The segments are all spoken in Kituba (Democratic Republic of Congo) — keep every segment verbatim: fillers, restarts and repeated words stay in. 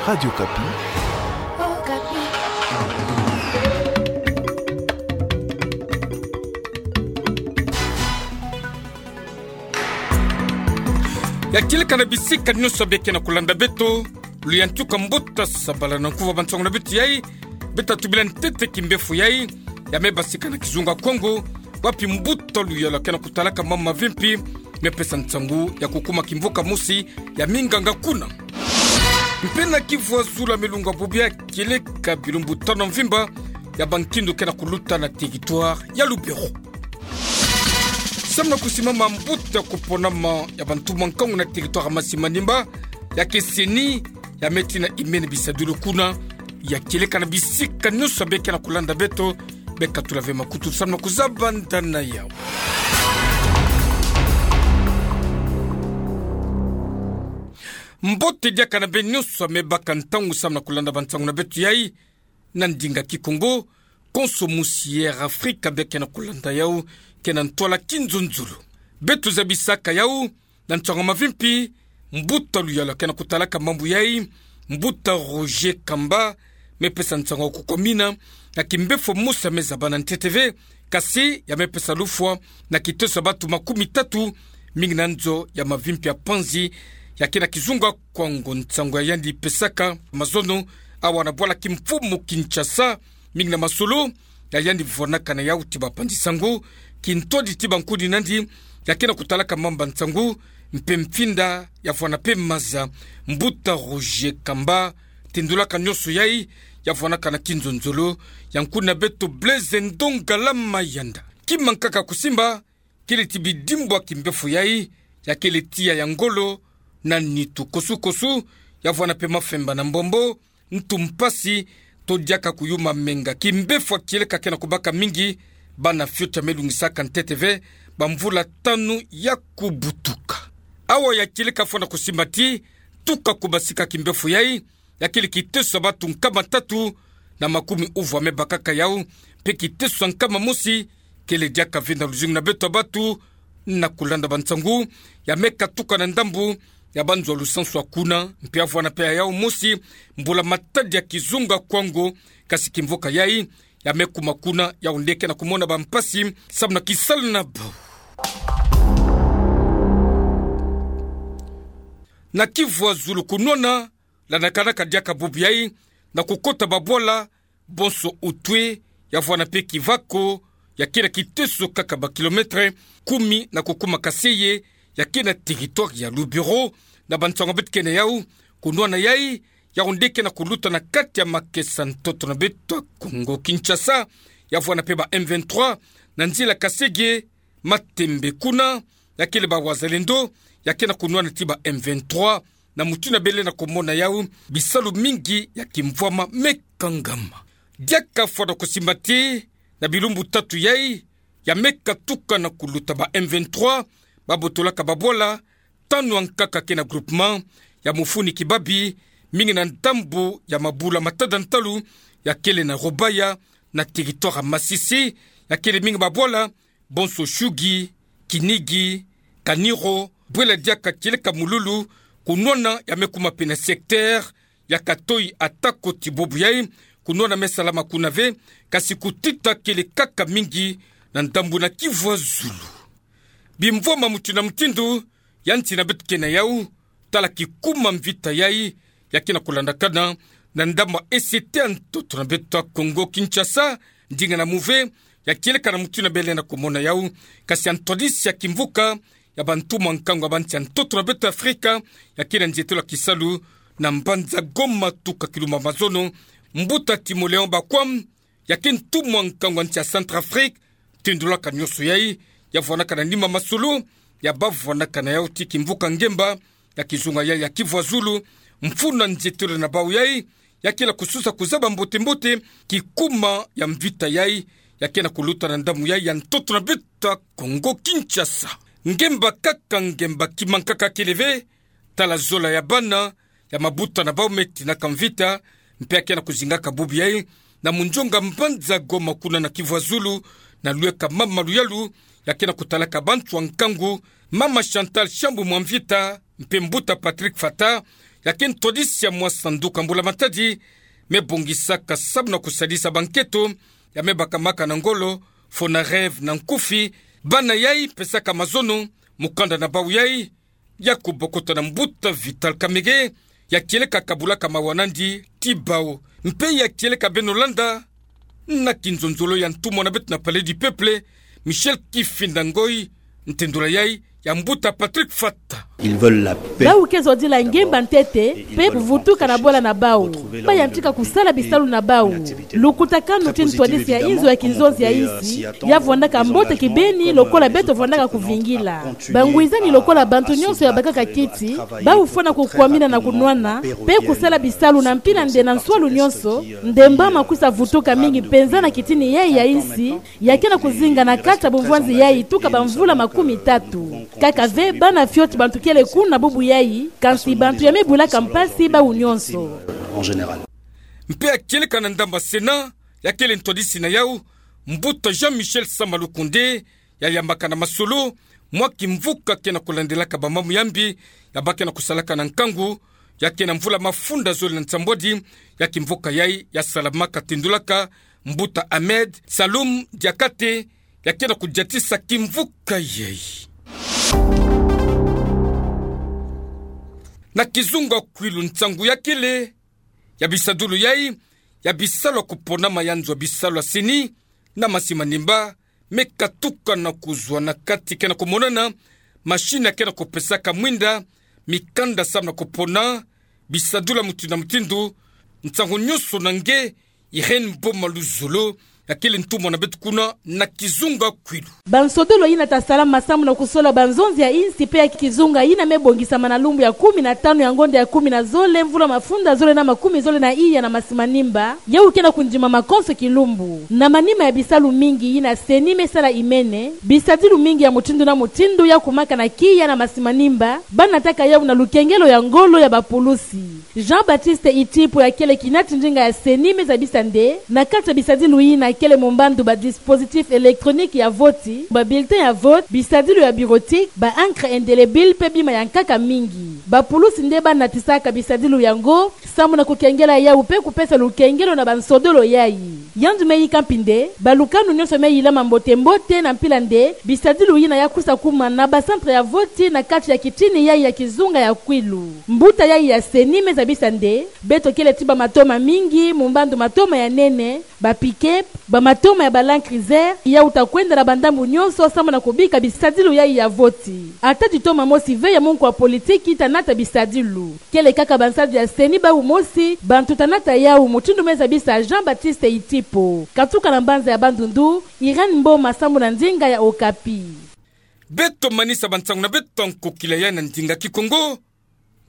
Radio Okapi. Ya kieleka na bisika nyonso beke na kulanda beto, luyantuka mbuta sabala na nkuva ba nsangu na beto yai. Beta tubila ntete kimbefo yai ya mebasika na kizunga Kongo, wapi mbuta luyala kena kutalaka mama mavimpi mepesa nsangu ya kukuma kimvuka mosi ya minganga kuna. Mpe na Kivu ya Zulu, milunga bubu ya kieleka bilumbu tanu mvimba ya bankindu kena kuluta na territoire ya Lubero. Samu na kusimama mbuta kuponama ya bantumwa nkangu na territoire ya Masi-Manimba, ya ke CENI, ya metina imene bisadulu kuna. Ya kieleka na bisika nyonso beke na kulanda beto, beka tula ve makutu samu na kuzabanda na yau. Mbote diaka na beno nyonso mebaka ntangu samu na kulanda ba nsangu na beto yai na ndinga Kikongo, konso musi Air Afrika beke na kulanda yau, kena ntwala Kinzonzolo. Beto zabisaka yau na nsangu mavimpi, mbuta luyala kena kutalaka mambu yai, mbuta Roger Kamba, mepesa nsangu ya kukomina na kimbefo mosi ya mezaba na ntete ve, kasi ya mepesa lufwa na kiteso ya bantu makumi tatu, mingi na nzo ya mavimpi ya panzi, ya kena kizunga Kongo. Nsangu ya yandi pesaka mazono awa na bwala kimfumu Kinshasa, mingi na masolo ya yandi vwanaka na yau ti bapanzi nsangu, kintwadi ti bankuni nandi, ya kena kutalaka mamba nsangu, mpe mfinda ya vwana mpe maza. Mbuta Roger Kamba, tindulaka nyonso yai, ya vwanaka na Kinzonzolo, ya nkuni na beto Blaise Ndongala Mayanda. Kima nkaka kusimba, kele ti bidimbwa kimbefo yai, ya kele tiya ya ngolo na nitu kosukosu, ya vwana mpe mafemba na mbombo, ntu mpasi, to diaka kuyuma menga. Kimbefo ya kieleka kena kubaka mingi, bana fioti ya melungisaka ntete ve, bamvula tanu ya kubutuka. Awa ya kieleka fwana kusimba ti, tuka kubasika kimbefo yai, ya kele kiteso ya bantu nkama tatu na makumi uvwa mebakaka yau, mpe kiteso ya nkama mosi kele diaka ve na luzingu na beto ya bantu na kulanda ba nsangu, ya mekatuka na ndambu ya banzo ya lusansu ya kuna, mpe ya vwana mpe ya yau mosi mbula-matadi ya kizunga Kongo, kasi kimvuka yai ya mekuma kuna, yau nde kena kumona bampasi samu na kisalu na bau. Na Kivu ya Zulu kunwana, landa kana kadiaka bubu yai na kukota babwala, bonso Outoué, ya vwana mpe Kivako, ya kena kiteso kaka ba kilomètre kumi na kukuma Kaseye, ya kena territoire ya Lubero, na ba nsangu beto kena yau, kunwana yai, yau nde kena kuluta na kati ya makesa ntoto na beto ya Kongo Kinshasa, ya vwana mpe ba M vingt-trois, na nzila Kasege, Matembe kuna, ya kele ba Wazalendo, ya kena kunwana ti ba M vingt-trois, na mutindu bele na kumona yau, bisalu mingi ya kimvwama mekangama. Diaka fwana kusimba ti, na bilumbu tatu yai, ya mekatuka na kuluta ba M vingt-trois, babotolaka babwala tanu ankaka kena groupement ya Mufuni Kibabi, mingi na ndambu ya mabula matada ntalu, ya kele na Rubaya, na territoire ya Masisi, ya kele mingi babwala, bonso Shugi, Kinigi, Kaniro, bwela diaka kieleka Mululu, kunwana ya mekuma mpe na secteur ya Katoyi, atako ti bubu yai, kunwana mesalama kuna ve, kasi kutita kele kaka mingi na ndambu na Kivu ya Zulu. Bimvwama mutindu na mutindu, ya nsi na beto kena yau, tala kikuma mvita yai, ya kena kulandakana na ndambu ya E C T ya ntoto na beto ya Kongo Kinshasa, ndinga na muve, ya kieleka na mutindu bele na kumona yau, kasi ya ntwadisi ya kimvuka ya bantumwa nkangu ya bansi ya ntoto na beto ya Afrika, ya kena nzietolo ya kisalu na mbanza Goma tuka kilumbu ya mazono, mbuta Timoléon Bakwam, ya ke ntumwa nkangu ya nsi ya Centrafrique, tindulaka nyonso yai, ya vwanaka na nima masolo ya bavwanaka na yau ti kimvuka ngemba ya kizunga yai ya Kivu ya Zulu, mfunu na nzietolo na bau yai, ya kela kususa kuzaba mbote-mbote kikuma ya mvita yai, ya kena kuluta na ndambu yai ya ntoto na beto ya Kongo Kinshasa. Ngemba kaka ngemba, kima nkaka kele ve, tala zola ya bana, ya mabuta na bau me tinaka mvita, mpe ya kena kuzingaka bubu yai, na munzonga mbanza Goma kuna na Kivu ya Zulu, na lweka mama Luyalu, ya kena kutalaka bantu ya nkangu, mama Chantal Shambu Mwamvita, mpe mbuta Patrick Fata, ya ke ntwadisi ya mwa sanduka mbula-matadi, me bongisaka samu na kusadisa bankento ya me bakamaka na ngolo, Fonareve na nkufi, bana yai pesaka mazono, mukanda na bau yai ya kubokota na mbuta Vital Kamerhe, ya kieleka kabulaka mawa nandi ti bau. Mpe ya kieleka beno landa na kinzonzolo ya ntumwa na beto na Palais du Peuple, Michel Kifinda Ngoy, ntendula yai ya mbuta Patrick Fata. Ils veulent la paix. Bau ke zodila ngemba ntete, pe kuvutuka na bola na bau. Bayantika kusala bisalu na bau. Lukutakanu ti ntwadisi ya inzo ya kinzonzi ya insi, ya vwandaka mbote kibeni, lokola beto vwandaka kuvingila. Bangwizani lokola bantu nyonso ya bakaka kiti, bau fwana kukwamina na kunwana, pe kusala bisalu na mpila nde na nswalu nyonso, nde mba ma kwisa vutuka mingi mpenza na kitini yai ya insi, ya ke na kuzinga na kati ya bumvwanzi yai tuka bamvula makumi tatu. Kaka ve bana fioti bantu kele kuna bubu yai, kansi bantu ya me bulaka mpasi bau nyonso. Mpe ya kieleka na ndamba Sénat, ya kele ntwadisi na yau, mbuta Jean-Michel Sama Lukonde, ya yambaka na masolo mwa kimvuka ke na kulandelaka bamambu ya mbi, ya ba ke na kusalaka na nkangu, ya ke na mvula mafunda zole na nsambwadi, ya kimvuka yai ya salamaka tendulaka mbuta Ahmed Saloum Diakhaté, ya ke na kudiatisa kimvuka yai. Na kizunga Kwilu, nsangu ya kele ya bisadulu yai ya bisalu ya kuponama ya nzo ya bisalu ya CENI na Masi Manimba, me katuka na kuzwa na kati ke na kumonana machine ya ke na kupesaka mwinda mikanda samu na kupona bisadulu ya mutindu na mutindu. Nsangu nyonso na nge Irène Boma Luzolo, ya kele ntumwa na beto kuna na kizunga Kwilu. Bansodolo yina ta salama samu na kusola banzonzi ya insi mpe ya kizunga yina me bongisama na lumbu ya kumi na tanu ya ngonda ya kumi na zole, mvula mafunda zole na makumi zole na iya na Masi Manimba, yau ke na kundimama konso kilumbu. Na manima ya bisalu mingi yina CENI me sala imene, bisadulu mingi ya mutindu na mutindu ya kumaka na kiya na Masi Manimba, ba nataka yau na lukengelo ya ngolo ya bapulusi. Jean-Baptiste Itipo, ya kele kinati ndinga ya CENI, me zabisa nde, na kati ya bisadulu yina kele mumbandu ba dispositif électronique ya voti, ba bulletin ya vote, bisadulu ya bureautique, ba encre indélébile mpe bima ya nkaka mingi. Bapulusi nde ba natisaka bisadulu yango samu na kukengela yau mpe kupesa lukengelo na bansodolo yai. Yandi me yika mpi nde balukanu nyonso me yilama mbote-mbote na mpila nde bisadulu yina ya kwisa kuma na ba centre ya voti na kati ya kitini yai ya kizunga ya Kwilu. Mbuta yai ya CENI me zabisa nde beto kele ti bamatoma mingi, mumbandu matoma ya nene, ba pick-up, bamatoma ya ba Land Cruiser, yau ta kwenda na bandambu nyonso samu na kubika bisadulu yai ya voti. Ata ti toma mosi ve ya munku ya politiki ta nata bisadulu. Kele kaka bansadi ya CENI bau mosi bantu ta nata yau, mutindu me zabisa Jean-Baptiste Itipo. Katuka na mbanza ya Bandundu, Irène Mboma, samu na ndinga ya Okapi. Beto manisa bansangu na beto ya nkokila yai na ndinga Kikongo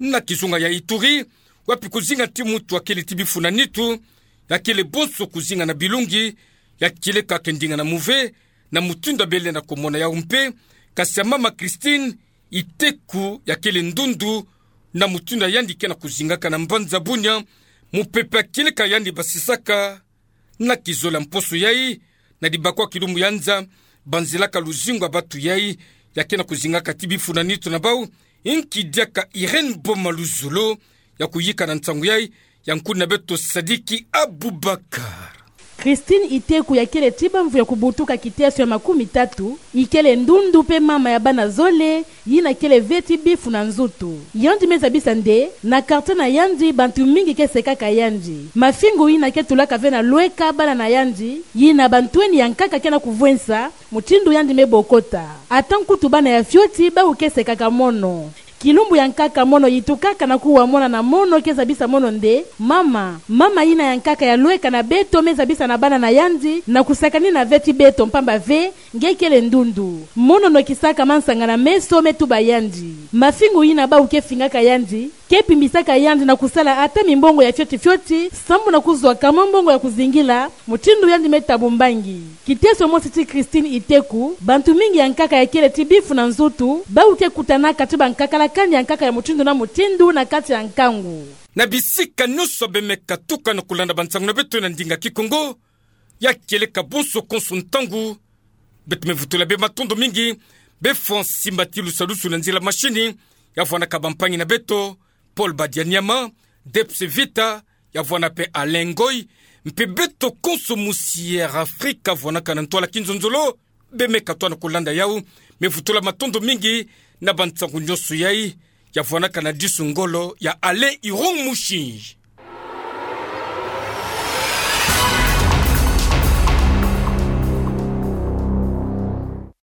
na kizunga ya Ituri, wapi kuzinga ti mutu ya kele ti bifu na nitu, ya kele bonso kuzinga na bilungi, ya kieleka ke ndinga na muve, na mutindu ya bele na kumona yau mpe, kasi ya mama Christine Iteku, ya kele ndundu, na mutindu ya yandi ke na kuzingaka na mbanza Bunia, mupepe ya kieleka yandi basisaka na kizola mposo yai, na dibakwa kilumbu ya nza, banzelaka luzingu ya batu yai, ya ke na kuzingaka ti bifu na nitu na bau. Inki diaka Irène Boma Luzolo ya kuyika na nsangu yai, ya nkuni na beto Sadiki Abubakar. Christine Iteku, ya kele ti bamvu ya kubutuka kiteso ya makumi tatu, ikele ndundu mpe mama ya bana zole, yina kele ve ti bifu na nzutu. Yandi me zabisa nde, na quartier na yandi, bantu mingi ke sekaka yandi. Mafingu yina ke tulaka ve na lweka bana na yandi, yina bantweni ya nkaka ke na kuvwensa, mutindu yandi me bokota. Ata nkutu bana ya fioti, bau ke sekaka mono. Kilumbu ya nkaka mono yitukaka na kuwa mona na mono ke zabisa mono nde, mama, mama yina ya nkaka ya lweka na beto me zabisa na bana na yandi, na kusakanina ve ti beto mpamba ve, nge kele ndundu. Mono nokisaka mansanga na meso me tuba yandi. Mafingu yina bau ke fingaka yandi, ke pimbisaka yandi na kusala ata mimbongo ya fioti fioti, sambu na kuzwaka mwa mbongo ya kuzingila, mutindu yandi me tabu mbangi. Kiteso mosi ti Christine Iteku, bantu mingi ya nkaka ya kele ti bifu na nzutu, bau ke kutanaka ti bankakalakani ya nkaka ya mutindu na mutindu na kati ya nkangu. Na bisika nyonso beno me katuka na kulanda bansangu na beto na ndinga Kikongo, ya kieleka bonso konso ntangu, beto me vutula beno matondo mingi, beno fwa nsimbati lusalusu na nzila mashini, ya vwandaka bampangi na beto, Paul Badianyama, Debs Vita, ya vwana pe Alain Ngoy, mpe beto konso mosi Air Africa vwanakana ntwala kinzonzolo, beme katoa na kolanda yau, me vutula matondo mingi na bansangu nyoso yai, ya vwanakana disu ngolo ya Alain Irung Mushi.